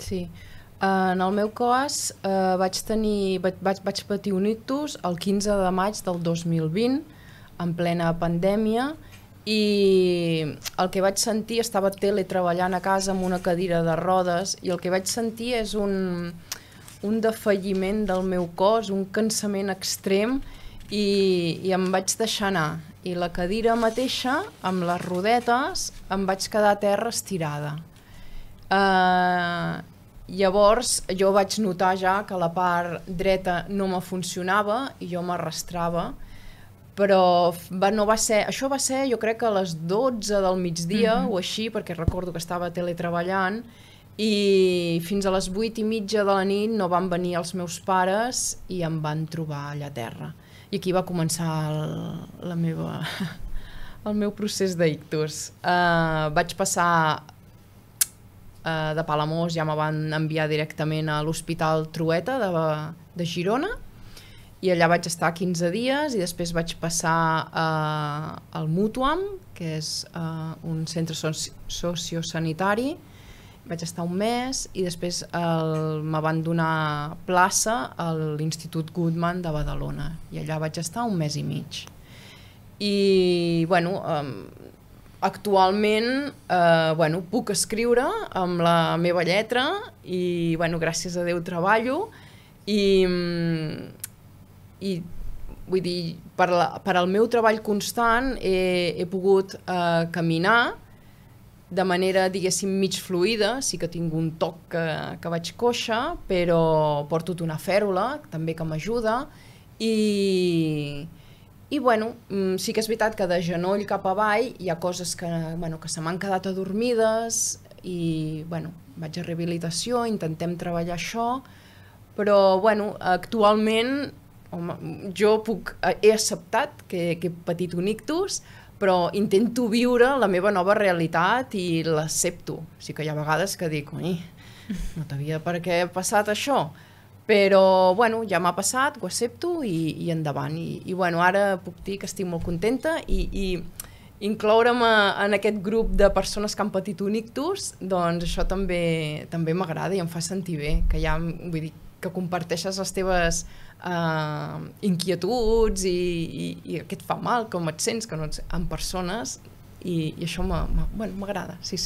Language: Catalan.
Sí. En el meu cas vaig patir un ictus el 15 de maig del 2020, en plena pandèmia, i el que vaig sentir, estava teletreballant a casa amb una cadira de rodes, i el que vaig sentir és un defalliment del meu cos, un cansament extrem, i em vaig deixar anar. I la cadira mateixa, amb les rodetes, em vaig quedar a terra estirada. Llavors jo vaig notar ja que la part dreta no me funcionava i jo m'arrastrava, però no va ser, això va ser jo crec que a les 12 del migdia o així, perquè recordo que estava teletreballant, i fins a les 8:30 de la nit no van venir els meus pares i em van trobar allà a terra. I aquí va començar el meu procés d'ictus. Vaig passar de Palamós, ja me van enviar directament a l'Hospital Trueta de Girona, i allà vaig estar 15 dies, i després vaig passar al Mútuam, que és un centre sociosanitari. Vaig estar un mes i després me van donar plaça a l'Institut Guttmann de Badalona, i allà vaig estar un mes i mig. I bueno, actualment puc escriure amb la meva lletra i gràcies a Déu treballo, i vull dir, per al meu treball constant he pogut caminar de manera, diguéssim, mig fluida. Sí que tinc un toc que vaig coixa, però porto una fèrula també que m'ajuda, i sí que és veritat que de genoll cap avall hi ha coses que se m'han quedat adormides, i vaig a rehabilitació, intentem treballar això, però actualment jo he acceptat que he patit un ictus, però intento viure la meva nova realitat i l'accepto. Sí que hi ha vegades que dic, no t'havia per què passat això, però ja m'ha passat, ho accepto i endavant. I ara puc dir que estic molt contenta, i incloure'm en aquest grup de persones que han patit un ictus, doncs això també m'agrada i em fa sentir bé, que vull dir, que comparteixes les teves inquietuds i que et fa mal, com et sents, que no ets amb persones, i això m'agrada, sí.